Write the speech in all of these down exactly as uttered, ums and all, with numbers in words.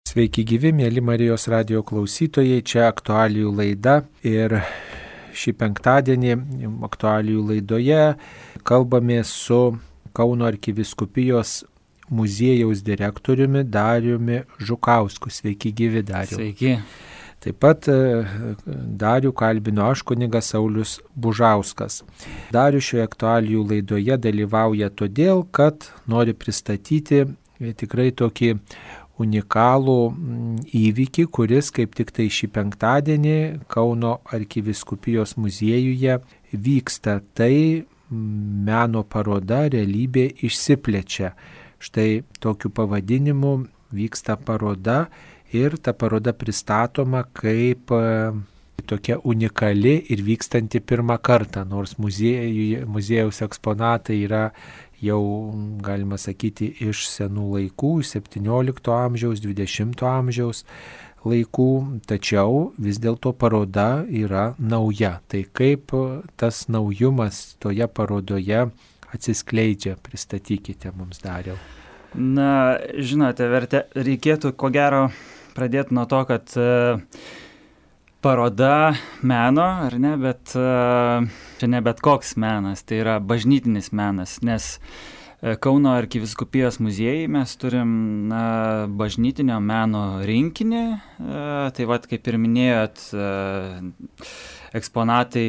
Sveiki gyvi, mėly Marijos radijo klausytojai, čia aktualijų laida ir šį penktadienį aktualijų laidoje kalbame su Kauno arkivyskupijos muziejaus direktoriumi Dariumi Žukausku. Sveiki gyvi, Dariau. Sveiki. Taip pat Darių kalbino aš, kunigas Saulius Bužauskas. Darių šioje aktualijų laidoje dalyvauja todėl, kad nori pristatyti tikrai tokį unikalų įvykį, kuris kaip tik tai šį penktadienį Kauno arkivyskupijos muziejuje vyksta. Tai meno paroda Realybė išsiplečia. Štai tokiu pavadinimu vyksta paroda ir ta paroda pristatoma kaip tokia unikali ir vykstanti pirmą kartą, nors muziejuje, muziejaus eksponatai yra jau, galima sakyti, iš senų laikų, septyniolikto amžiaus, dvidešimto amžiaus laikų, tačiau vis dėlto paroda yra nauja. Tai kaip tas naujumas toje parodoje atsiskleidžia, pristatykite mums, Dariau. Na, žinote, verte, reikėtų ko gero pradėti nuo to, kad uh, paroda meno, ar ne, bet uh, čia ne bet koks menas, tai yra bažnytinis menas, nes uh, Kauno arkivyskupijos muziejai mes turim na, bažnytinio meno rinkinį, uh, tai vat kaip ir minėjot, uh, eksponatai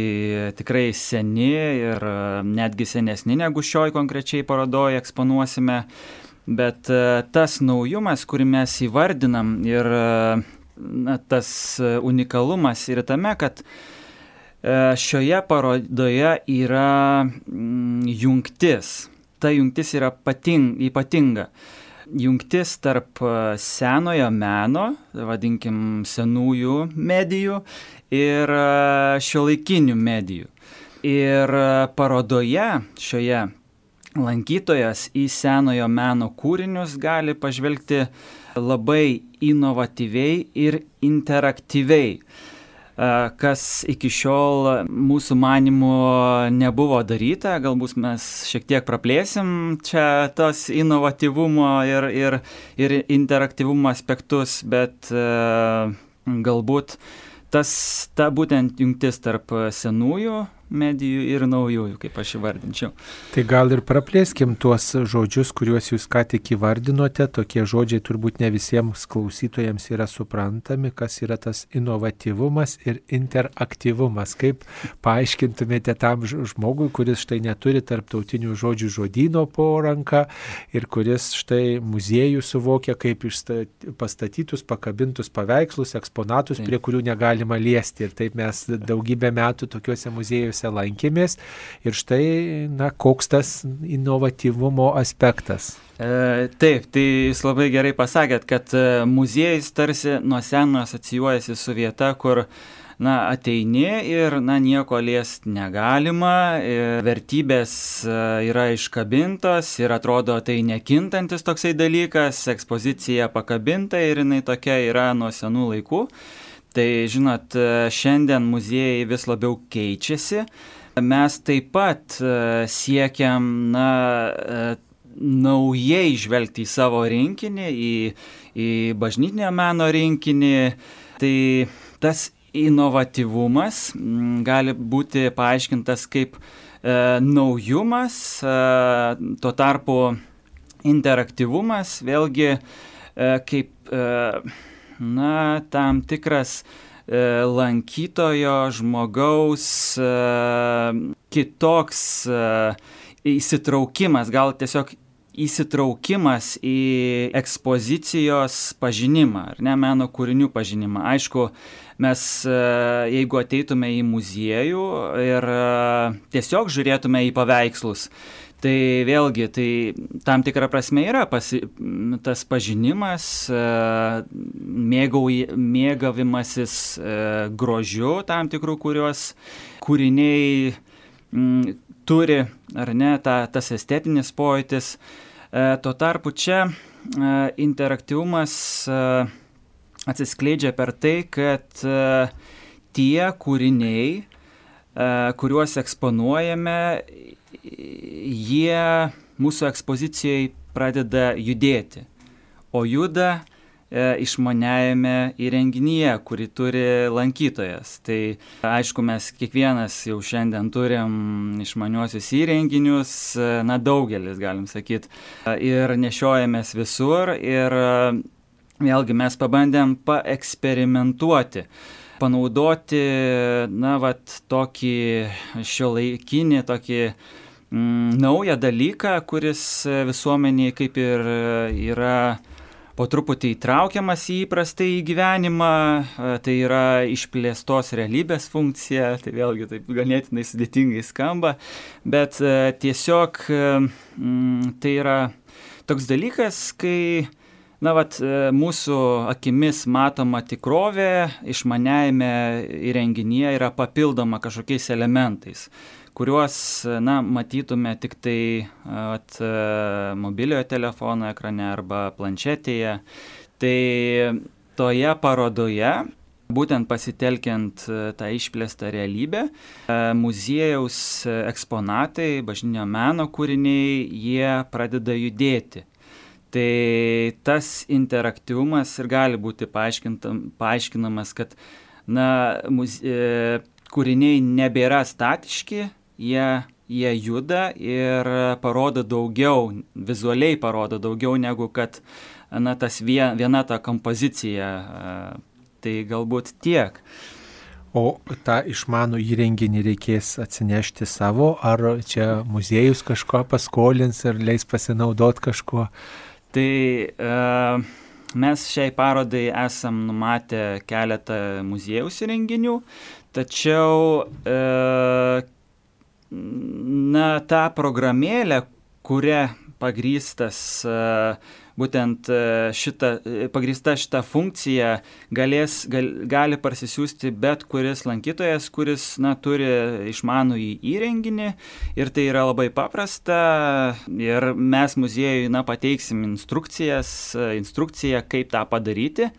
tikrai seni ir uh, netgi senesni negu šioj konkrečiai parodoje eksponuosime, bet uh, tas naujumas, kurį mes įvardinam ir uh, na, tas unikalumas yra tame, kad uh, šioje parodoje yra mm, jungtis. Ta jungtis yra pating, ypatinga. Jungtis tarp senojo meno, vadinkim senųjų medijų ir šiuolaikinių medijų. Ir parodoje šioje lankytojas į senojo meno kūrinius gali pažvelgti labai inovatyviai ir interaktyviai, kas iki šiol mūsų manymu nebuvo daryta. Galbūt mes šiek tiek praplėsim čia tos inovatyvumo ir, ir, ir interaktyvumo aspektus, bet galbūt tas, ta būtent jungtis tarp senųjų medijų ir naujųjų, kaip aš įvardinčiau. Tai gal ir praplėskim tuos žodžius, kuriuos jūs ką tik įvardinote. Tokie žodžiai turbūt ne visiems klausytojams yra suprantami, kas yra tas inovatyvumas ir interaktyvumas. Kaip paaiškintumėte tam žmogui, kuris štai neturi tarptautinių žodžių žodyno po ranka ir kuris štai muziejų suvokia kaip pastatytus, pakabintus paveikslus, eksponatus, taip, prie kurių negalima liesti. Ir taip mes daugybę metų tokiuose muziejuose lankėmės ir štai, na, koks tas inovatyvumo aspektas. E, taip, tai jūs labai gerai pasakėt, kad muziejus tarsi nuo seno asocijuojasi su vieta, kur na, ateini ir na, nieko liest negalima, vertybės yra iškabintos ir atrodo tai nekintantis toksai dalykas, ekspozicija pakabinta ir jinai tokia yra nuo senų laikų. Tai, žinot, šiandien muziejai vis labiau keičiasi. Mes taip pat siekiam na, naujai žvelgti į savo rinkinį, į, į bažnytinio meno rinkinį. Tai tas inovatyvumas gali būti paaiškintas kaip e, naujumas, e, tuo tarpu interaktyvumas vėlgi e, kaip e, na, tam tikras e, lankytojo žmogaus e, kitoks e, įsitraukimas, gal tiesiog įsitraukimas į ekspozicijos pažinimą, ar ne, meno kūrinių pažinimą. Aišku, mes, e, jeigu ateitume į muziejų ir e, tiesiog žiūrėtume į paveikslus, tai vėlgi, tai tam tikra prasme yra pasi, tas pažinimas, mėgau, mėgavimasis grožiu tam tikrų, kuriuos kūriniai m, turi, ar ne, ta, tas estetinis pojūtis. Tuo tarpu čia interaktyvumas atsiskleidžia per tai, kad tie kūriniai, kuriuos eksponuojame, jie mūsų ekspozicijai pradeda judėti, o juda išmaniajame įrenginyje, kurį turi lankytojas. Tai aišku, mes kiekvienas jau šiandien turim išmaniuosius įrenginius, na daugelis, galim sakyti, ir nešiojamės visur ir vėlgi mes pabandėm paeksperimentuoti, panaudoti, na, vat, tokį šiuolaikinį, tokį mm, naują dalyką, kuris visuomeniai kaip ir yra po truputį įtraukiamas į įprastąjį gyvenimą, tai yra išplėstos realybės funkcija, tai vėlgi taip ganėtinai sudėtingai skamba, bet tiesiog mm, tai yra toks dalykas, kai na, vat, mūsų akimis matoma tikrovė išmaniajame įrenginyje yra papildoma kažkokiais elementais, kuriuos, na, matytume tik tai vat, mobiliojo telefono ekrane arba planšetėje. Tai toje parodoje, būtent pasitelkiant tą išplėstą realybę, muziejaus eksponatai, bažnytinio meno kūriniai, jie pradeda judėti. Tai tas interaktyvumas ir gali būti paaiškinamas, kad na, muzie, kūriniai nebėra statiški, jie, jie juda ir parodo daugiau, vizualiai parodo daugiau negu kad na, tas vien, viena ta kompozicija. Tai galbūt tiek. O tą išmanų įrenginį reikės atsinešti savo, ar čia muziejus kažko paskolins ir leis pasinaudoti kažkuo? Tai e, mes šiai parodai esam numatę keletą muziejaus įrenginių, tačiau e, na, tą programėlę, kuria pagrįstas e, būtent šita, pagrįsta šita funkcija galės, gal, gali parsisiųsti bet kuris lankytojas, kuris na, turi išmanųjį įrenginį ir tai yra labai paprasta ir mes muziejui na, pateiksim instrukcijas, instrukciją, kaip tą padaryti.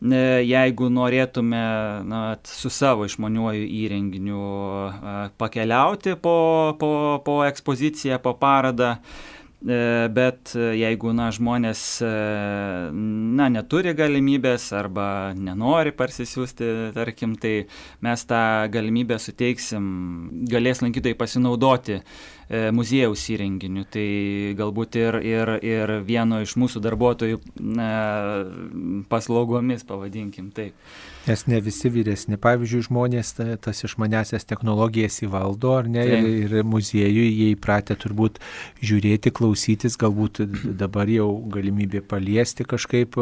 Jeigu norėtume na, su savo išmaniuoju įrenginiu pakeliauti po, po, po ekspoziciją, po parodą, bet jeigu na, žmonės na, neturi galimybės arba nenori parsisiųsti, tarkim, tai mes tą galimybę suteiksim, galės lankytojai pasinaudoti muziejaus įrenginiu. Tai galbūt ir, ir, ir vieno iš mūsų darbuotojų na, paslaugomis, pavadinkim taip. Nes ne visi vyresni, pavyzdžiui, žmonės tas išmaniasias technologijas įvaldo, ar ne, ir, ir muziejui jie įpratę turbūt žiūrėti, klausytis, galbūt dabar jau galimybė paliesti kažkaip,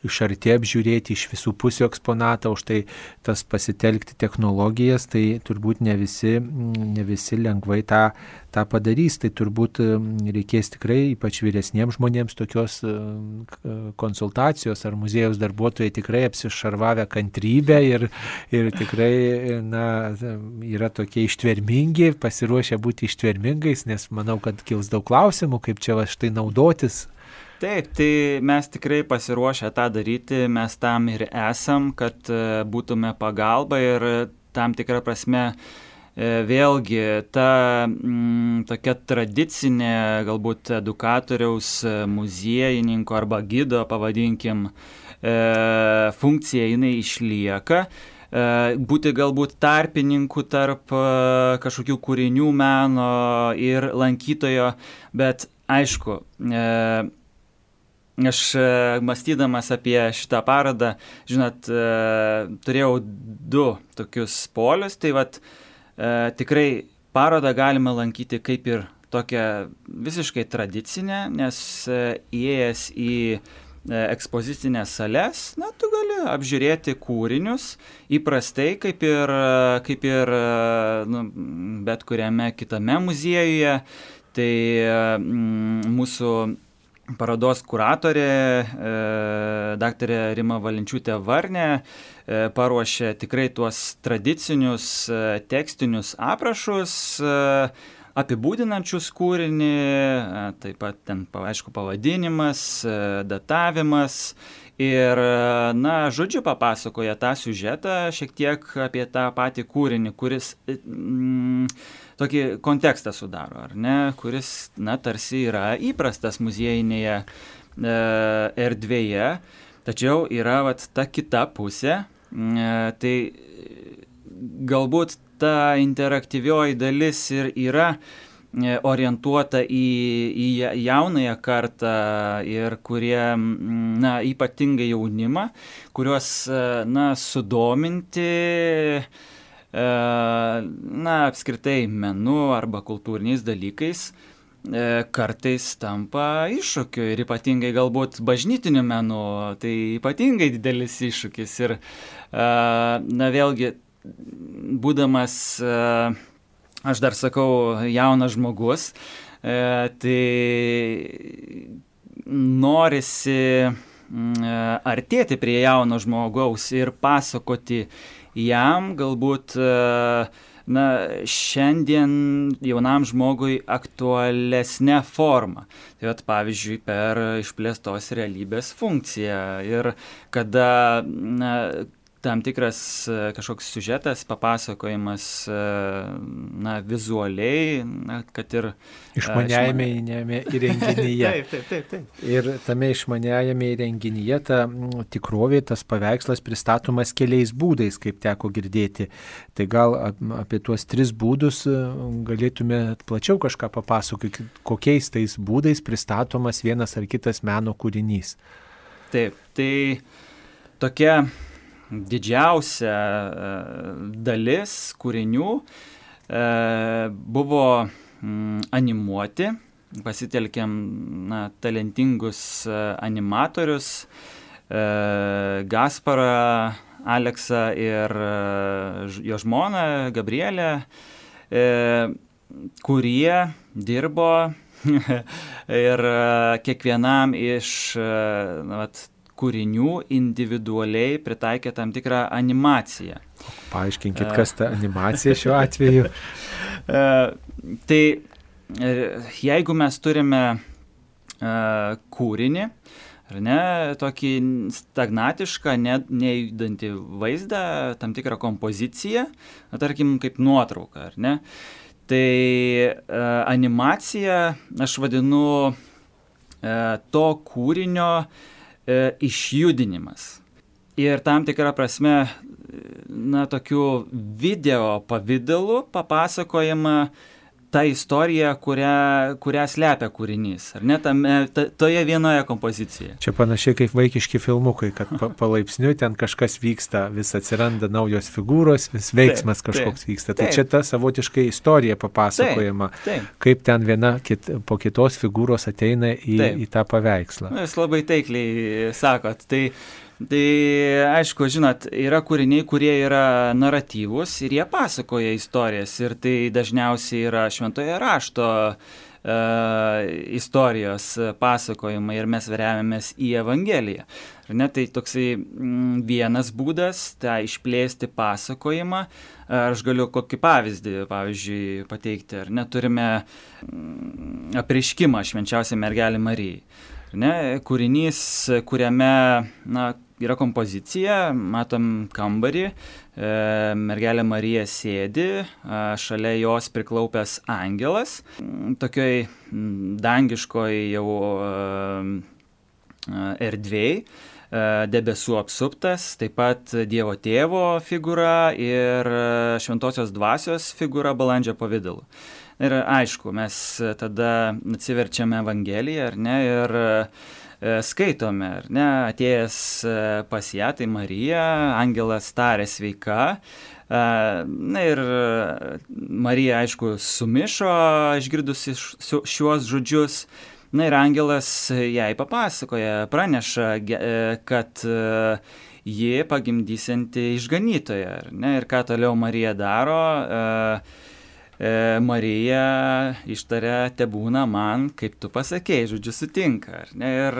iš arti apžiūrėti, iš visų pusių eksponatą, už tai tas pasitelkti technologijas, tai turbūt ne visi, ne visi lengvai tą, tą padarys, tai turbūt reikės tikrai, ypač vyresniems žmonėms, tokios konsultacijos, ar muziejaus darbuotojai tikrai apsišarvavę kantrybę ir, ir tikrai na, yra tokie ištvermingi, pasiruošę būti ištvermingais, nes manau, kad kils daug klausimų, kaip čia va štai naudotis. Taip, tai mes tikrai pasiruošę tą daryti, mes tam ir esam, kad būtume pagalba ir tam tikrą prasme vėlgi ta m, tokia tradicinė galbūt edukatoriaus, muziejininko arba gido, pavadinkim, e, funkcija jinai išlieka. E, būti galbūt tarpininkų tarp e, kažkokių kūrinių meno ir lankytojo, bet aišku, e, aš mąstydamas apie šitą parodą, žinot, e, turėjau du tokius polius, tai vat E, tikrai parodą galima lankyti kaip ir tokią visiškai tradicinę, nes e, įėjęs į e, ekspozicinės sales, na, tu gali apžiūrėti kūrinius įprastai, kaip ir, kaip ir nu, bet kuriame kitame muziejuje. Tai mm, mūsų parodos kuratorė, e, daktarė Rima Valinčiūtė Varnė, e, paruošė tikrai tuos tradicinius e, tekstinius aprašus, e, apibūdinančius kūrinį, e, taip pat ten, aišku, pavadinimas, e, datavimas ir, na, žodžiu papasakoja tą siužetą šiek tiek apie tą patį kūrinį, kuris mm, tokį kontekstą sudaro, ar ne, kuris, na, tarsi yra įprastas muziejinėje e, erdvėje. Tačiau yra vat, ta kita pusė, tai galbūt ta interaktyvioji dalis ir yra orientuota į, į jaunąją kartą ir kurie, na, ypatingai jaunimą, kuriuos, na, sudominti, na, apskritai menu arba kultūriniais dalykais kartais tampa iššūkiu ir ypatingai galbūt bažnytiniu menu, tai ypatingai didelis iššūkis ir, na, vėlgi, būdamas, aš dar sakau, jaunas žmogus, tai norisi artėti prie jauno žmogaus ir pasakoti jam galbūt, na, šiandien jaunam žmogui aktualesnė forma. Tai vat, pavyzdžiui, per išplėstos realybės funkciją ir kada, na, tam tikras kažkoks siužetas, papasakojimas, na, vizualiai, na, kad ir išmaniajame įrenginyje. Taip, taip, taip, taip. Ir tame išmaniajame įrenginyje ta tikrovė, tas paveikslas pristatomas keliais būdais, kaip teko girdėti. Tai gal apie tuos tris būdus galėtume plačiau kažką papasakoti, kokiais tais būdais pristatomas vienas ar kitas meno kūrinys. Taip, tai tokia didžiausia dalis kūrinių buvo animuoti, pasitelkėm, na, talentingus animatorius, Gasparą, Aleksą ir jo žmoną Gabrielę, kurie dirbo ir kiekvienam iš, na, vat, kūrinių individualiai pritaikė tam tikrą animaciją. Paaiškinkit, kas ta animacija šiuo atveju? Tai jeigu mes turime kūrinį, ar ne, tokį stagnatišką, ne, nejudantį vaizdą, tam tikrą kompoziciją, tarkim, kaip nuotrauką, ar ne, tai animacija, aš vadinu to kūrinio išjudinimas. Ir tam tikrą prasme, na, tokiu video pavidalu papasakojama ta istorija, kurią, kurią slepia kūrinys, ar ne, tame, ta, toje vienoje kompozicijoje. Čia panašiai kaip vaikiški filmukai, kad pa, palaipsniui ten kažkas vyksta, vis atsiranda naujos figūros, vis veiksmas taip, kažkoks taip, vyksta. Tai taip. Čia ta savotiškai istorija papasakojama, taip, taip. Kaip ten viena kit, po kitos figūros ateina į, į tą paveikslą. Jūs labai taikliai sakot. Tai Tai aišku, žinot, yra kūriniai, kurie yra naratyvūs ir jie pasakoja istorijas ir tai dažniausiai yra šventoje rašto e, istorijos pasakojimai ir mes remiamės į Evangeliją. Ar ne, tai toksai m, vienas būdas, tai išplėsti pasakojimą. Aš galiu kokį pavyzdį, pavyzdžiui, pateikti, ar ne, turime m, apreiškimą švenčiausiai mergelei Marijai. Ne, kūrinys, kuriame, na, yra kompozicija, matom kambarį, e, mergelė Marija sėdi, a, šalia jos priklaupęs angelas, tokioj dangiškoj jau a, erdvėj, a, debesų apsuptas, taip pat Dievo tėvo figūra ir šventosios dvasios figūra balandžio pavidalu. Ir aišku, mes tada atsiverčiame Evangeliją, ar ne, ir e, skaitome, ar ne, atėjęs pas ją, tai Marija, angelas tarė sveika. E, na ir Marija, aišku, sumišo, išgirdusi šiuos žodžius. Na ir angelas jai papasakoja, praneša, kad ji pagimdysianti išganytoją, ar ne, ir ką toliau Marija daro. E, Marija ištaria, tebūna man, kaip tu pasakėjai, žodžiu, sutinka. Ar ne? Ir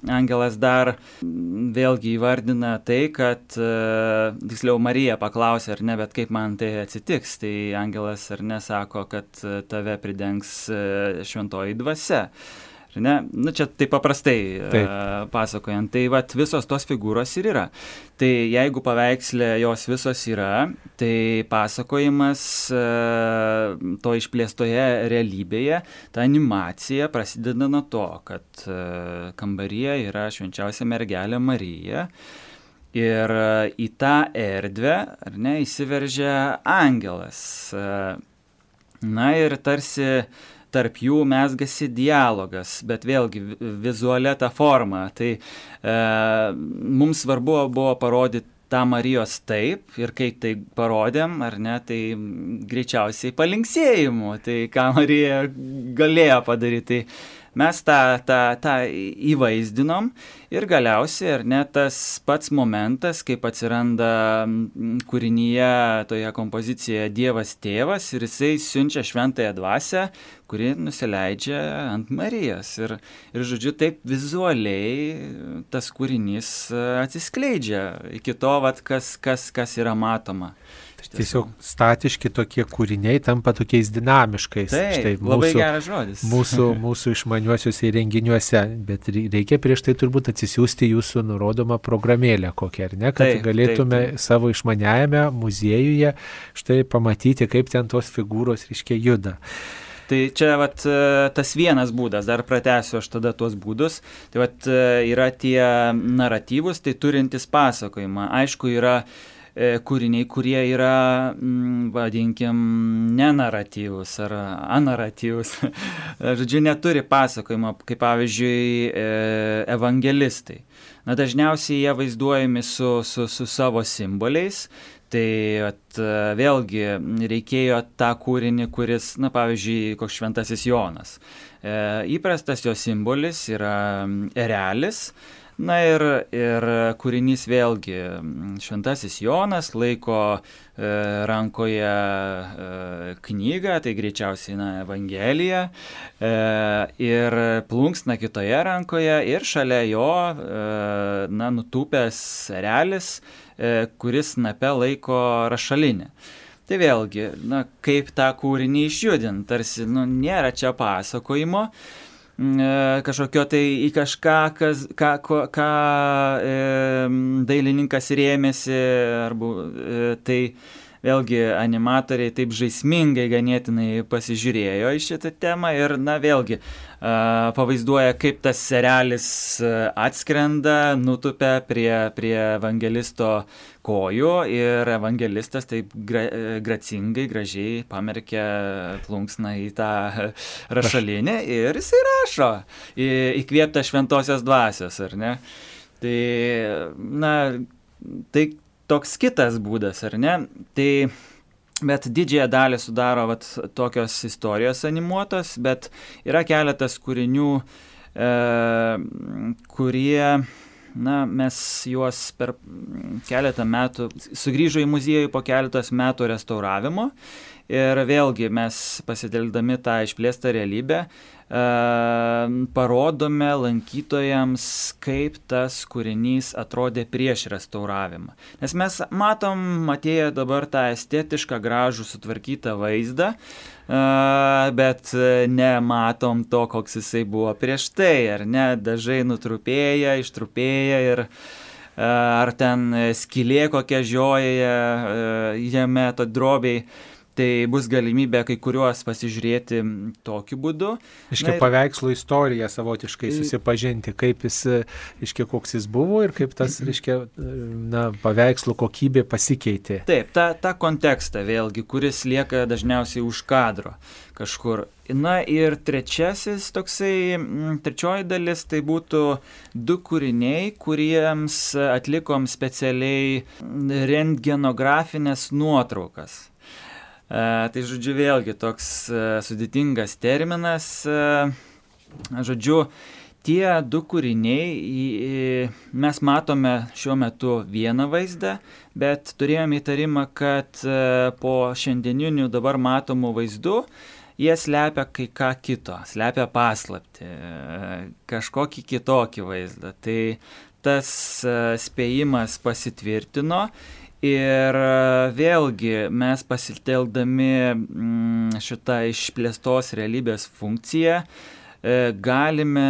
angelas dar vėlgi įvardina tai, kad, tiksliau, Marija paklausė, ar ne, bet kaip man tai atsitiks. Tai angelas, ar ne, sako, kad tave pridengs šventoji dvasia. Ne? Nu, čia taip paprastai taip. Uh, pasakojant. Tai vat, visos tos figūros ir yra. Tai jeigu paveikslė jos visos yra, tai pasakojimas uh, to išplėstoje realybėje, ta animacija prasideda nuo to, kad uh, kambaryje yra švenčiausia mergelė Marija. Ir uh, į tą erdvę, ar ne, įsiveržia angelas. Uh, na ir tarsi tarp jų mezgasi dialogas, bet vėlgi vizualia ta forma. Tai e, mums svarbu buvo parodyti tą Marijos taip ir kai tai parodėm, ar ne, tai greičiausiai palinksėjimu, tai ką Marija galėjo padaryti. Tai mes tą, tą, tą įvaizdinom ir galiausiai, ar ne, tas pats momentas, kaip atsiranda kūrinyje, toje kompozicijoje Dievas tėvas ir jisai siunčia šventąją dvasią, kuri nusileidžia ant Marijos. Ir, ir žodžiu, taip vizualiai tas kūrinys atsiskleidžia iki to, vat, kas, kas, kas yra matoma. Tiesiog statiški tokie kūriniai tampa tokiais dinamiškais. Taip, štai, labai mūsų, geras žodis. Mūsų, mūsų išmaniuosiuose įrenginiuose, bet reikia prieš tai turbūt atsisiųsti jūsų nurodomą programėlę kokią, ar ne, kad taip, galėtume taip, taip. savo išmaniajame muziejuje štai pamatyti, kaip ten tos figūros reiškia juda. Tai čia vat, tas vienas būdas, dar pratęsiu aš tada tuos būdus, tai vat, yra tie naratyvus, tai turintis pasakojimą. Aišku, yra kūriniai, kurie yra, vadinkim, nenaratyvus ar anaratyvus. Žodžiu, neturi pasakojimo, kaip pavyzdžiui evangelistai. Na, dažniausiai jie vaizduojami su, su, su savo simboliais. Tai at, vėlgi reikėjo tą kūrinį, kuris, na, pavyzdžiui, koks šventasis Jonas. E, įprastas jo simbolis yra erelis. Na ir, ir kūrinys vėlgi, šventasis Jonas laiko e, rankoje e, knygą, tai greičiausiai na, Evangelija, e, ir plunksna kitoje rankoje ir šalia jo e, na, nutūpęs erelis, e, kuris snape laiko rašalinę. Tai vėlgi, na, kaip tą kūrinį išjudint, tarsi nu, nėra čia pasakojimo, kažkokio tai į kažką, kas, ką, ką, ką e, dailininkas rėmėsi, arba e, tai vėlgi animatoriai taip žaismingai ganėtinai pasižiūrėjo į šitą temą ir, na, vėlgi a, pavaizduoja, kaip tas erelis atskrenda, nutupia prie, prie evangelisto kojų ir evangelistas taip gra, gracingai, gražiai pamerkia plunksną į tą rašalinę ir jisai rašo, į, įkvėpta šventosios dvasios, ar ne? Tai, na, tai toks kitas būdas, ar ne? Tai, bet didžiąją dalį sudaro vat, tokios istorijos animuotos, bet yra keletas kūrinių, e, kurie, na, mes juos per keletą metų, sugrįžo į muziejų po keletos metų restauravimo ir vėlgi mes pasitelkdami tą išplėstą realybę, e, parodome lankytojams, kaip tas kūrinys atrodė prieš restauravimą. Nes mes matom, atėję dabar tą estetišką, gražų, sutvarkytą vaizdą, e, bet nematom to, koks jisai buvo prieš tai, ar ne, dažai nutrupėja, ištrupėja ir ar ten skylė kokia žioja jame, to drobiai. Tai bus galimybė kai kuriuos pasižiūrėti tokiu būdu. Iškia ir... paveikslo istoriją savotiškai susipažinti, kaip jis, iškia koks jis buvo ir kaip tas, iškia, na, paveikslo kokybė pasikeitė. Taip, tą, tą kontekstą vėlgi, kuris lieka dažniausiai už kadro kažkur. Na ir trečiasis toksai, trečioji dalis, tai būtų du kūriniai, kuriems atlikom specialiai rentgenografinės nuotraukas. Uh, tai žodžiu vėlgi toks uh, sudėtingas terminas. Uh, žodžiu, tie du kūriniai, į, mes matome šiuo metu vieną vaizdą, bet turėjome įtarimą, kad uh, po šiandieninių dabar matomų vaizdų jie slepia kai ką kito, slepia paslaptį, uh, kažkokį kitokį vaizdą. Tai tas uh, spėjimas pasitvirtino. Ir vėlgi mes pasitelkdami šitą išplėstos realybės funkciją galime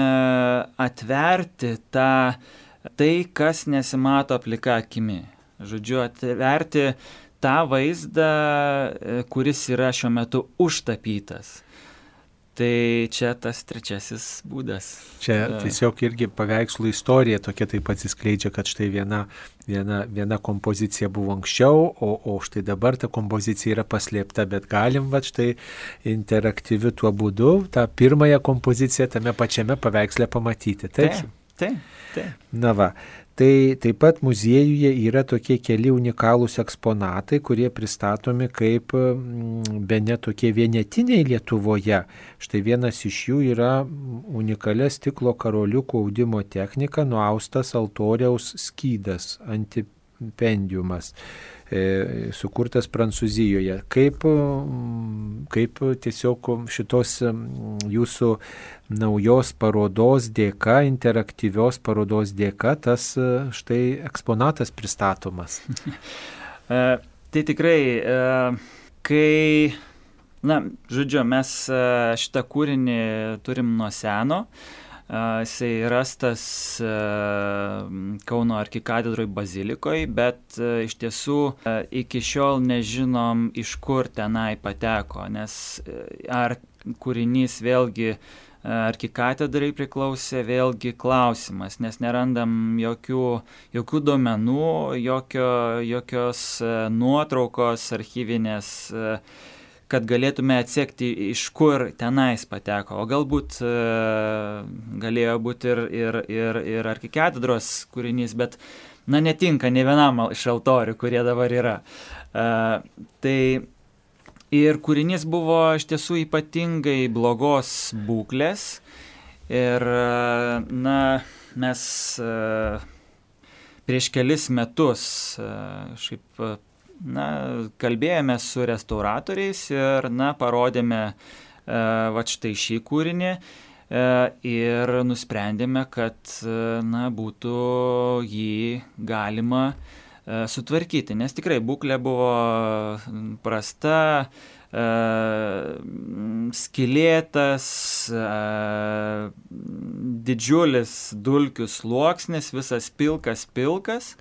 atverti tą, tai, kas nesimato plika akimi. Žodžiu, atverti tą vaizdą, kuris yra šiuo metu užtapytas. Tai čia tas trečiasis būdas. Čia tiesiog irgi paveikslų istorija tokia taip atsiskleidžia, kad štai viena, viena, viena kompozicija buvo anksčiau, o, o štai dabar ta kompozicija yra paslėpta, bet galim va štai interaktyviu tuo būdu tą pirmąją kompoziciją tame pačiame paveiksle pamatyti. Taip? Taip, taip, taip. Na va. Tai taip pat muziejuje yra tokie keli unikalūs eksponatai, kurie pristatomi kaip bene tokie vienetiniai Lietuvoje. Štai vienas iš jų yra unikalia stiklo karoliukų audimo technika nuaustas altoriaus skydas, antipendiumas, e, sukurtas Prancūzijoje. Kaip, kaip tiesiog šitos jūsų naujos parodos dėka, interaktyvios parodos dėka, tas štai eksponatas pristatomas. e, tai tikrai, e, kai, na, žodžiu, mes šitą kūrinį turim nuo seno, e, jisai rastas e, Kauno arkikatedroj bazilikoje, bet e, iš tiesų e, iki šiol nežinom, iš kur tenai pateko, nes e, ar kūrinys vėlgi arkikatedrai priklausė, vėlgi klausimas, nes nerandam jokių, jokių duomenų, jokio, jokios nuotraukos archyvinės, kad galėtume atsekti, iš kur tenais pateko. O galbūt galėjo būti ir, ir, ir, ir arkikatedros kūrinys, bet na, netinka ne vienam iš altorių, kurie dabar yra. Tai ir kūrinys buvo iš tiesų ypatingai blogos būklės ir, na, mes prieš kelis metus šiaip, na, kalbėjome su restauratoriais ir, na, parodėme va štai šį kūrinį ir nusprendėme, kad, na, būtų jį galima sutvarkyti, nes tikrai būklė buvo prasta, skylėtas, didžiulis dulkių sluoksnis, visas pilkas pilkas.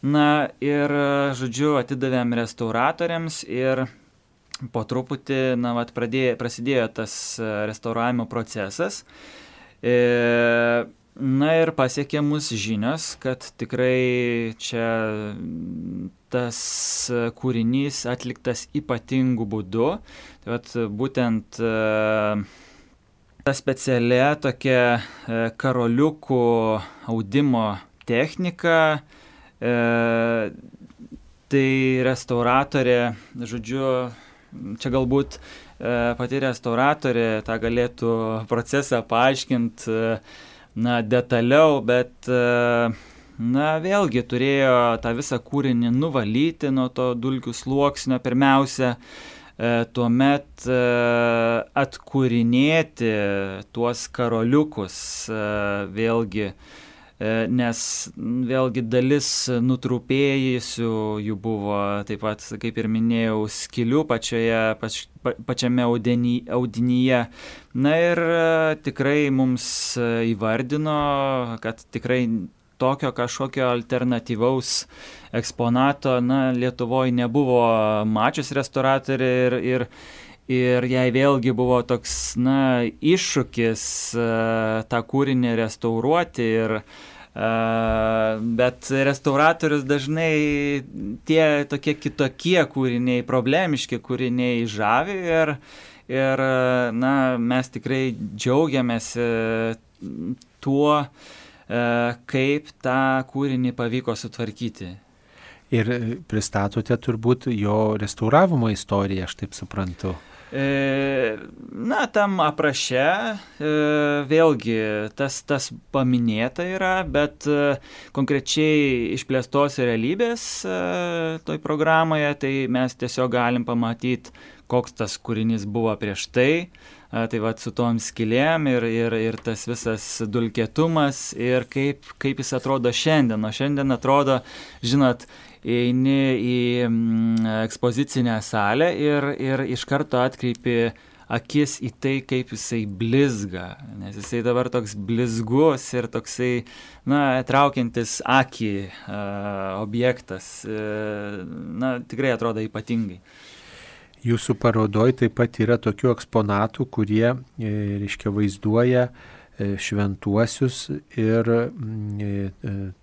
Na ir, žodžiu, atidavėm restauratoriams ir po truputį, na, vat, pradėjo, prasidėjo tas restauravimo procesas. E, Na ir pasiekė mus žinios, kad tikrai čia tas kūrinys atliktas ypatingu būdu. Tai vat, būtent ta specialia tokia karoliukų audimo technika, tai restauratorė, žodžiu, čia galbūt pati restauratorė tą galėtų procesą paaiškinti, na, detaliau, bet, na, vėlgi turėjo tą visą kūrinį nuvalyti nuo to dulkių sluoksnio pirmiausia, tuomet atkūrinėti tuos karoliukus vėlgi, nes vėlgi dalis nutrupėjusių jų buvo, taip pat, kaip ir minėjau, skylių pačioje, pač, pačiame audiny, audinyje. Na ir tikrai mums įvardino, kad tikrai tokio kažkokio alternatyvaus eksponato, na, Lietuvoje nebuvo mačius restauratorė ir, ir Ir jai vėlgi buvo toks, na, iššūkis uh, tą kūrinį restauruoti, ir, uh, bet restauratorius dažnai tie tokie kitokie kūriniai, problemiški kūriniai žavi ir, ir na, mes tikrai džiaugiamės tuo, uh, kaip tą kūrinį pavyko sutvarkyti. Ir pristatote turbūt jo restauravimo istoriją, aš taip suprantu. Na, tam apraše vėlgi tas, tas paminėta yra, bet konkrečiai išplėstos realybės toj programoje, tai mes tiesiog galim pamatyti, koks tas kūrinys buvo prieš tai, tai va su tom skylėm ir, ir, ir tas visas dulkėtumas ir kaip, kaip jis atrodo šiandien. O šiandien atrodo, žinot, eini į ekspozicinę salę ir, ir iš karto atkreipi akis į tai, kaip jisai blizga, nes jisai dabar toks blizgus ir toksai, na, traukiantis akį uh, objektas, uh, na, tikrai atrodo ypatingai. Jūsų parodoj taip pat yra tokių eksponatų, kurie, e, reiškia, vaizduoja šventuosius ir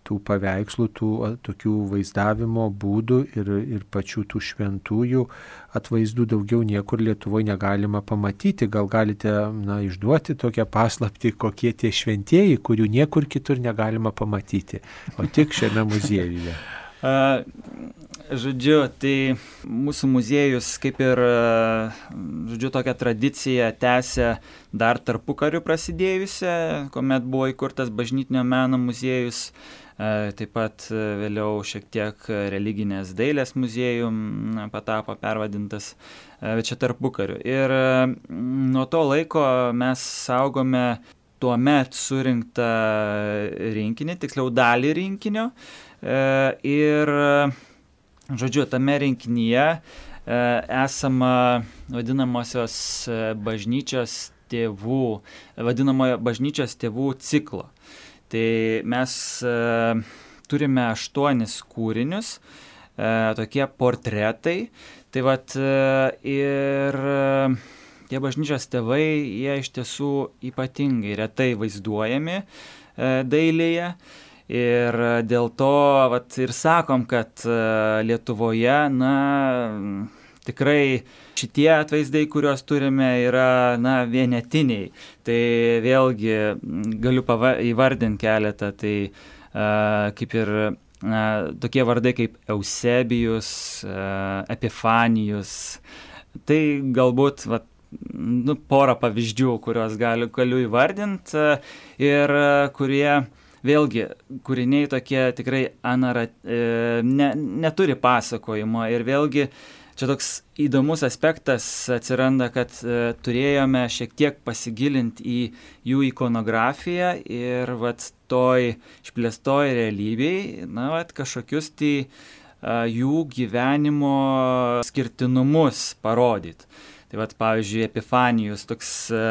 tų paveikslų, tų tokių vaizdavimo būdų ir, ir pačių tų šventųjų atvaizdų daugiau niekur Lietuvoje negalima pamatyti. Gal galite, na, išduoti tokią paslaptį, kokie tie šventieji, kurių niekur kitur negalima pamatyti, o tik šiame muziejuje. Uh, žodžiu, tai mūsų muziejus kaip ir, žodžiu, tokią tradiciją tęsia dar tarpukariu prasidėjusią, kuomet buvo įkurtas bažnytinio meno muziejus, uh, taip pat vėliau šiek tiek religinės dailės muziejum patapo pervadintas, uh, bet čia tarpukariu. Ir uh, nuo to laiko mes saugome tuomet surinktą rinkinį, tiksliau dalį rinkinio. Ir, žodžiu, tame rinkinyje esama vadinamosios bažnyčios tėvų, vadinamojo bažnyčios tėvų ciklo. Tai mes turime aštuonis kūrinius, tokie portretai. Tai vat ir tie bažnyčios tėvai, jie iš tiesų ypatingai retai vaizduojami dailėje. Ir dėl to vat, ir sakom, kad Lietuvoje, na, tikrai šitie atvaizdai, kuriuos turime, yra, na, vienetiniai. Tai vėlgi galiu pava- įvardinti keletą, tai a, kaip ir a, tokie vardai kaip Eusebijus, a, Epifanijus. Tai galbūt, vat, nu, porą pavyzdžių, kuriuos galiu, galiu įvardinti ir kurie vėlgi, kūriniai tokie tikrai anara, e, ne, neturi pasakojimo ir vėlgi čia toks įdomus aspektas atsiranda, kad e, turėjome šiek tiek pasigilinti į jų ikonografiją ir vat toj išplėstoj realybėj, na, vat kažkokius tai e, jų gyvenimo skirtinumus parodyti. Tai vat, pavyzdžiui, Epifanijus, toks e,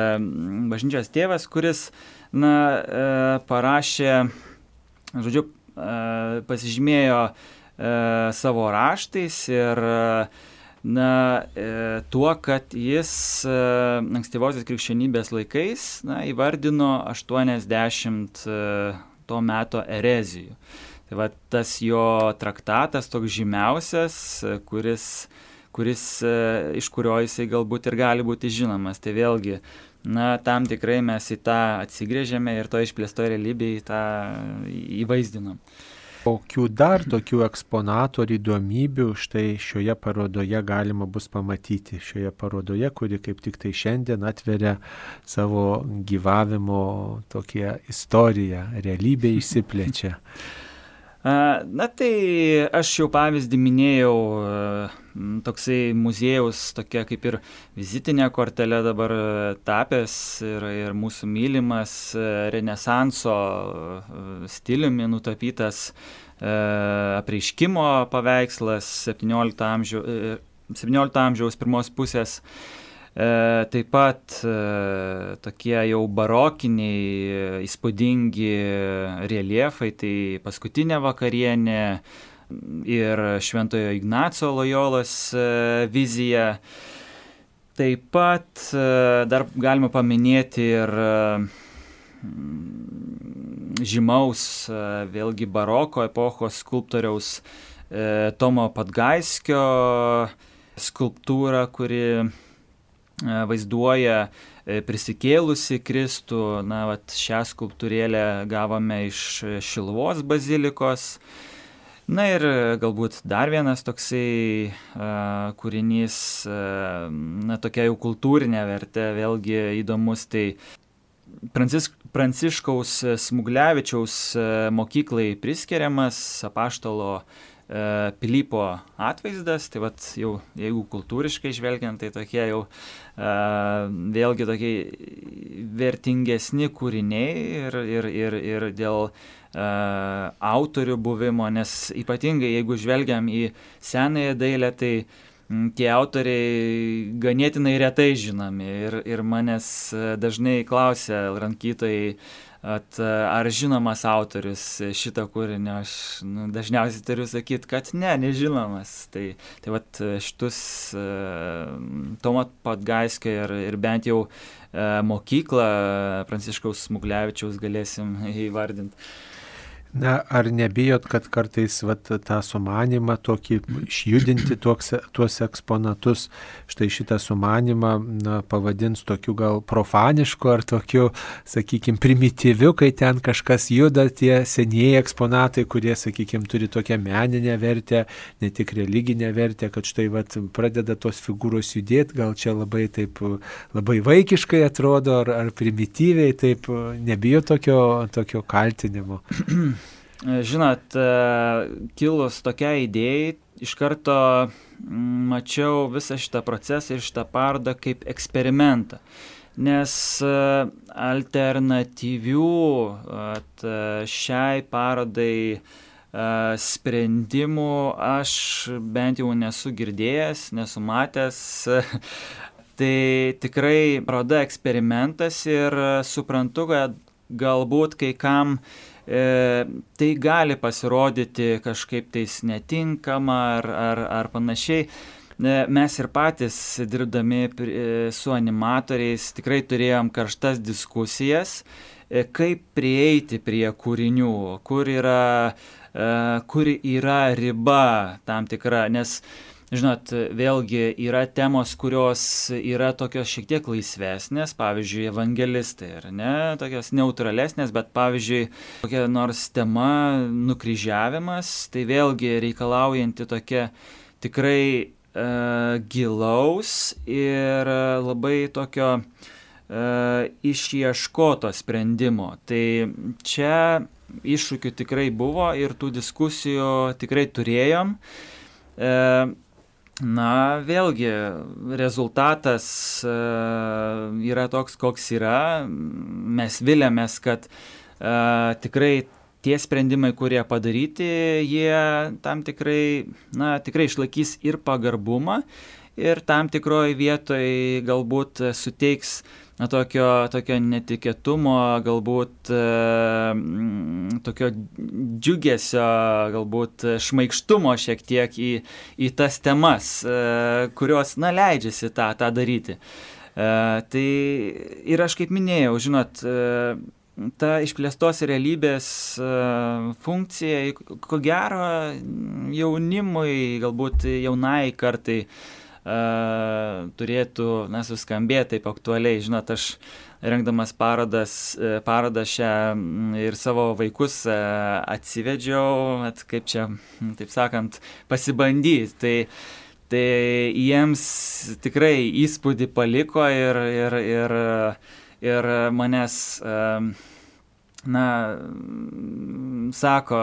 bažnyčios tėvas, kuris na, e, parašė, žodžiu, e, pasižymėjo e, savo raštais ir na, e, tuo, kad jis e, ankstyvosios krikščionybės laikais, na, įvardino aštuoniasdešimt e, to meto erezijų. Tai va, tas jo traktatas toks žymiausias, kuris, kuris e, iš kurio jisai galbūt ir gali būti žinomas. Tai vėlgi, na, tam tikrai mes į tą atsigrėžėme ir to išplėsto realybėje į tą įvaizdinam. Kokių dar tokių eksponatų ar įdomybių štai šioje parodoje galima bus pamatyti? Šioje parodoje, kuri kaip tik tai šiandien atveria savo gyvavimo tokią istoriją, realybė išsiplečia. Na tai aš jau pavyzdį minėjau, toksai muziejaus tokia kaip ir vizitinė kortelė dabar tapęs ir, ir mūsų mylimas renesanso stiliumi nutapytas apreiškimo paveikslas septyniolikto amžiaus, septyniolikto amžiaus pirmos pusės. E, taip pat e, tokie jau barokiniai, įspūdingi reljefai, tai Paskutinė vakarienė ir Šventojo Ignaco Lojolos e, vizija. Taip pat e, dar galima paminėti ir e, žymaus, e, vėlgi baroko epochos skulptoriaus e, Tomo Padgaiskio skulptūrą, kuri vaizduoja prisikėlusi Kristų. Na, vat, šią skulptūrėlę gavome iš Šiluvos bazilikos. Na ir galbūt dar vienas toksai uh, kūrinys, uh, na, tokia jau kultūrinė vertė, vėlgi įdomus, tai Prancisk, Pranciškaus Smuglevičiaus uh, mokyklai priskiriamas apaštalo Pilypo atvaizdas. Tai vat jau, jeigu kultūriškai žvelgiant, tai tokie jau uh, vėlgi tokie vertingesni kūriniai ir, ir, ir, ir dėl uh, autorių buvimo, nes ypatingai jeigu žvelgiam į senąją dailę, tai tie autoriai ganėtinai retai žinomi ir, ir manęs dažnai klausia lankytojai, at, ar žinomas autorius šito kūrinio. Aš nu, dažniausiai turiu sakyti, kad ne, nežinomas. Tai, tai vat šitus uh, Tomo Podgaiskio ir, ir bent jau uh, mokyklą Pranciškaus Smuglevičiaus galėsim įvardinti. Na, ar nebijot, kad kartais vat, tą sumanimą tokį išjudinti tuos, tuos eksponatus, štai šitą sumanimą na, pavadins tokiu gal profanišku ar tokiu, sakykime, primityviu, kai ten kažkas juda, tie senieji eksponatai, kurie, sakykime, turi tokią meninę vertę, ne tik religinę vertę, kad štai vat, pradeda tos figūros judėti, gal čia labai taip, labai vaikiškai atrodo, ar, ar primityviai, taip nebijo tokio, tokio kaltinimo. Žinot, kilus tokia idėjai, iš karto mačiau visą šitą procesą ir šitą parodą kaip eksperimentą. Nes alternatyvių šiai parodai sprendimų aš bent jau nesu girdėjęs, nesu matęs. Tai tikrai paroda eksperimentas ir suprantu, kad galbūt kai kam E, tai gali pasirodyti kažkaip tais netinkama ar, ar, ar panašiai. E, mes ir patys dirbdami e, su animatoriais tikrai turėjom karštas diskusijas, e, kaip prieiti prie kūrinių, kur yra, e, kur yra riba tam tikra, nes žinot, vėlgi yra temos, kurios yra tokios šiek tiek laisvesnės, pavyzdžiui, evangelistai, ar ne, tokios neutralesnės, bet pavyzdžiui, kokia nors tema nukryžiavimas, tai vėlgi reikalaujanti tokia tikrai e, gilaus ir labai tokio e, išieškoto sprendimo. Tai čia iššūkių tikrai buvo ir tų diskusijų tikrai turėjom. E, Na, vėlgi, rezultatas uh, yra toks, koks yra. Mes viliamės, kad uh, tikrai tie sprendimai, kurie padaryti, jie tam tikrai, na, tikrai išlaikys ir pagarbumą, ir tam tikroje vietoje galbūt suteiks na, tokio, tokio netikėtumo, galbūt e, tokio džiugesio, galbūt šmaikštumo šiek tiek į, į tas temas, e, kurios, na, leidžiasi tą, tą daryti. E, tai ir aš kaip minėjau, žinot, e, ta išplėstos realybės e, funkcija, ko gero, jaunimui, galbūt jaunai kartai, Uh, turėtų na, suskambėti taip aktualiai. Žinot, aš rengdamas parodas, parodą šią ir savo vaikus uh, atsivedžiau, at, kaip čia, taip sakant, pasibandyti. Tai, tai jiems tikrai įspūdį paliko ir, ir, ir, ir manęs, uh, na, sako,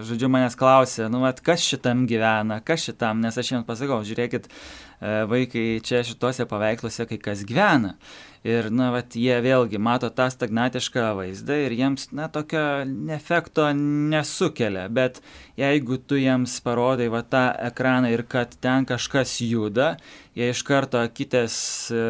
žodžiu, manęs klausė, nu, at, kas šitam gyvena, kas šitam, nes aš jiems pasakau, žiūrėkit, vaikai čia šituose paveiksluose kai kas gyvena. Ir, na, vat, jie vėlgi mato tą stagnatišką vaizdą ir jiems, na, tokio efekto nesukelia. Bet jeigu tu jiems parodai va tą ekraną ir kad ten kažkas juda, jie iš karto akitės e,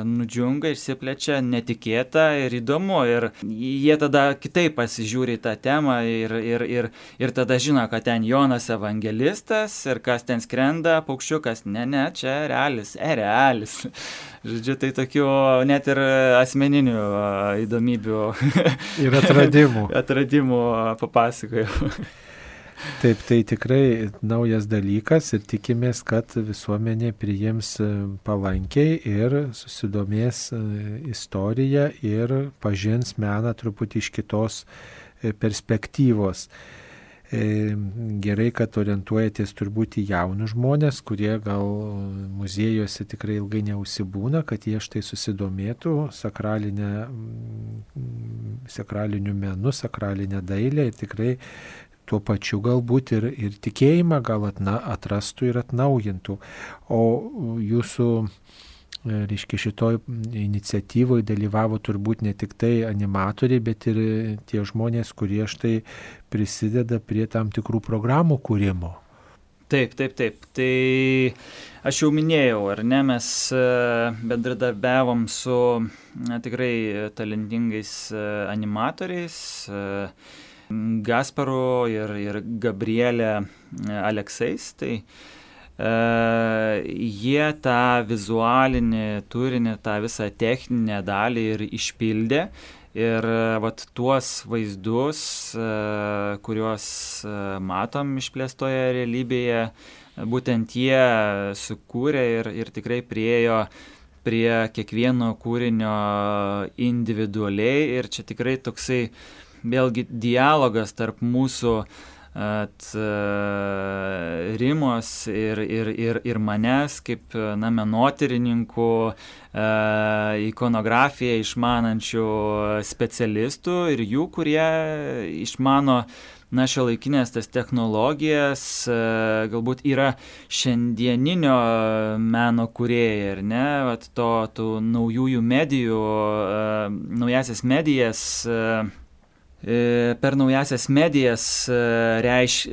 nudžiunga, išsiplečia, netikėta ir įdomu. Ir jie tada kitaip pasižiūri tą temą ir, ir, ir, ir tada žino, kad ten Jonas evangelistas ir kas ten skrenda, paukščiukas, ne, ne, čia realis, erealis. Žodžiu, tai tokių net ir asmeninių įdomybių ir atradimų. atradimų papasakojau. Taip, tai tikrai naujas dalykas ir tikimės, kad visuomenė priims palankiai ir susidomės istoriją ir pažins meną truputį iš kitos perspektyvos. Gerai, kad orientuojatės turbūt į jaunus žmonės, kurie gal muziejuose tikrai ilgai neužsibūna, kad jie štai susidomėtų sakralinę, sakraliniu menu, sakralinę dailę ir tikrai tuo pačiu galbūt ir, ir tikėjimą gal atna, atrastų ir atnaujintų. O jūsų, reiškia, šitoj iniciatyvoje dalyvavo turbūt ne tik tai animatoriai, bet ir tie žmonės, kurie štai prisideda prie tam tikrų programų kūrimo. Taip, taip, taip. Tai aš jau minėjau, ar ne, mes bendradarbiavom su na, tikrai talentingais animatoriais, Gasparu ir, ir Gabrielė Aleksais. Tai uh, jie tą vizualinį turinį, tą visą techninę dalį ir išpildė. Ir vat tuos vaizdus, kuriuos matom išplėstoje realybėje, būtent jie sukūrė ir, ir tikrai priėjo prie kiekvieno kūrinio individualiai. Ir čia tikrai toksai vėlgi dialogas tarp mūsų at, Rimos ir, ir, ir, ir manęs kaip na, menotyrininkų, ikonografiją išmanančių specialistų ir jų, kurie išmano na, šiuolaikinės tas technologijas, galbūt yra šiandieninio meno kūrėjai, ar ne, vat to, tų naujųjų medijų, naujasias medijas, per naujasias medijas reiš,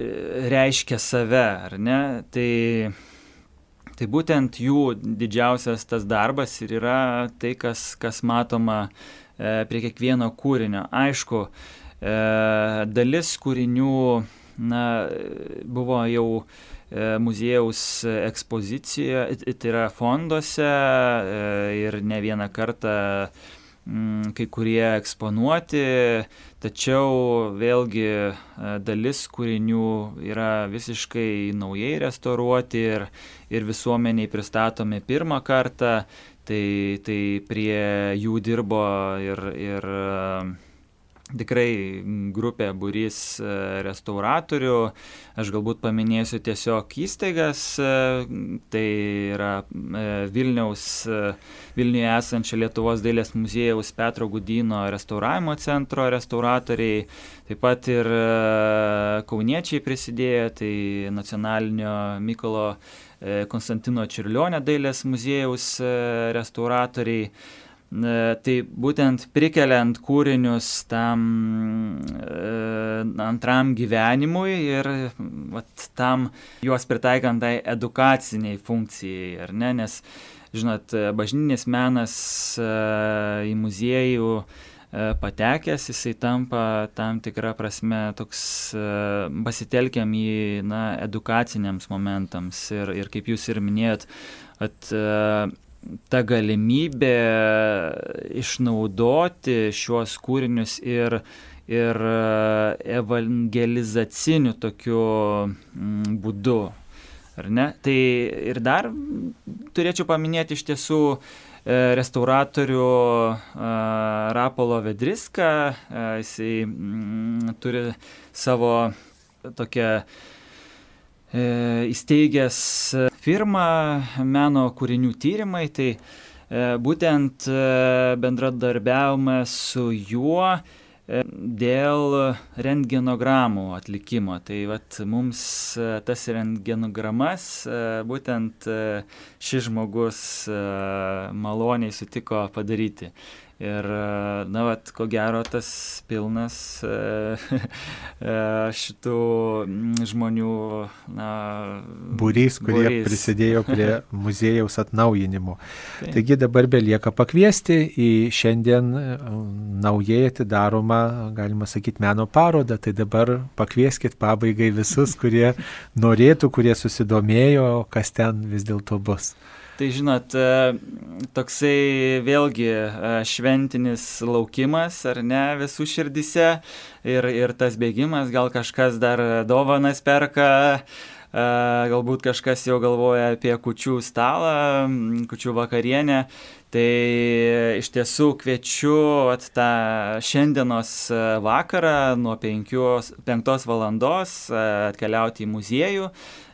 reiškia save, ar ne? Tai, tai būtent jų didžiausias tas darbas ir yra tai, kas, kas matoma prie kiekvieno kūrinio. Aišku, dalis kūrinių na, buvo jau muziejaus ekspozicijoje, tai yra fonduose ir ne vieną kartą kai kurie eksponuoti, tačiau vėlgi dalis kūrinių yra visiškai naujai restauruoti ir, ir visuomeniai pristatomi pirmą kartą, tai, tai prie jų dirbo ir, ir tikrai grupė, būrys restauratorių. Aš galbūt paminėsiu tiesiog įstaigas, tai yra Vilniaus, Vilniuje esančio Lietuvos dailės muziejaus Petro Gudyno restauravimo centro restauratoriai, taip pat ir kauniečiai prisidėjo, tai nacionalinio Mykolo Konstantino Čiurlionio dailės muziejaus restauratoriai. Tai būtent prikeliant kūrinius tam e, antram gyvenimui ir vat, tam juos pritaikant tai edukaciniai funkcijai, ar ne, nes, žinot, bažnytinis menas e, į muziejų e, patekęs, jisai tampa tam tikrą prasme toks e, pasitelkiam į na, edukaciniams momentams ir, ir kaip jūs ir minėjot, at, e, ta galimybė išnaudoti šiuos kūrinius ir, ir evangelizaciniu tokiu būdu, ar ne? Tai ir dar turėčiau paminėti iš tiesų restauratorių Rapolo Vedriską, jisai turi savo tokią įsteigęs firmą meno kūrinių tyrimai, tai būtent bendradarbiavome su juo dėl rentgenogramų atlikimo. Tai vat, mums tas rentgenogramas būtent šis žmogus maloniai sutiko padaryti. Ir, na, vat, ko gero, tas pilnas šitų žmonių na, būrys, kurie būrys. Prisidėjo prie muziejaus atnaujinimo. Tai. Taigi dabar belieka pakviesti į šiandien naujai atidaromą, galima sakyti, meno parodą. Tai dabar pakvieskit pabaigai visus, kurie norėtų, kurie susidomėjo, kas ten vis dėlto bus. Tai žinot, toksai vėlgi šventinis laukimas, ar ne, visų širdyse ir, ir tas bėgimas, gal kažkas dar dovanas perka, galbūt kažkas jau galvoja apie kūčių stalą, kūčių vakarienę. Tai iš tiesų kviečiu at, tą šiandienos vakarą nuo penktos valandos atkeliauti į muziejų,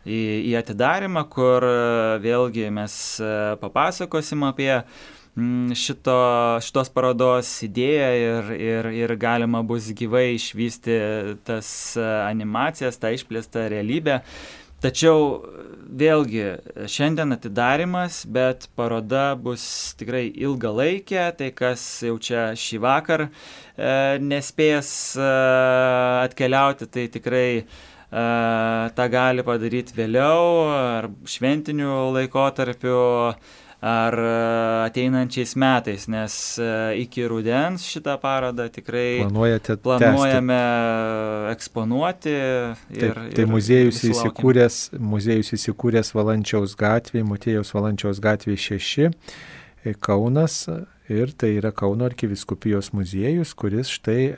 į, į atidarymą, kur vėlgi mes papasakosim apie šito, šitos parodos idėją ir, ir, ir galima bus gyvai išvysti tas animacijas, tą išplėstą realybę. Tačiau vėlgi šiandien atidarymas, bet paroda bus tikrai ilgalaikė, tai kas jau čia šį vakar e, nespės e, atkeliauti, tai tikrai tą gali padaryti vėliau, ar šventiniu laikotarpiu, ar ateinančiais metais, nes iki rudens šitą parodą tikrai Planuojate planuojame tęsti. Eksponuoti. Ir, Taip, tai ir, muziejus, ir įsikūręs, muziejus įsikūręs Valančiaus gatvėje, Motiejaus Valančiaus gatvėje šeši, Kaunas, ir tai yra Kauno arkivyskupijos muziejus, kuris štai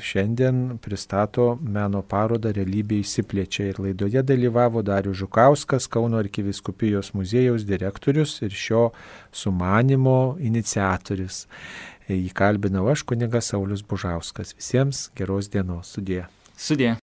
šiandien pristato meno parodą Realybė išsiplečia. Ir laidoje dalyvavo Darius Žukauskas, Kauno arkivyskupijos muziejaus direktorius ir šio sumanymo iniciatorius. Jį kalbinau aš, kunigas Saulius Bužauskas. Visiems geros dienos. Sudie. Sudie.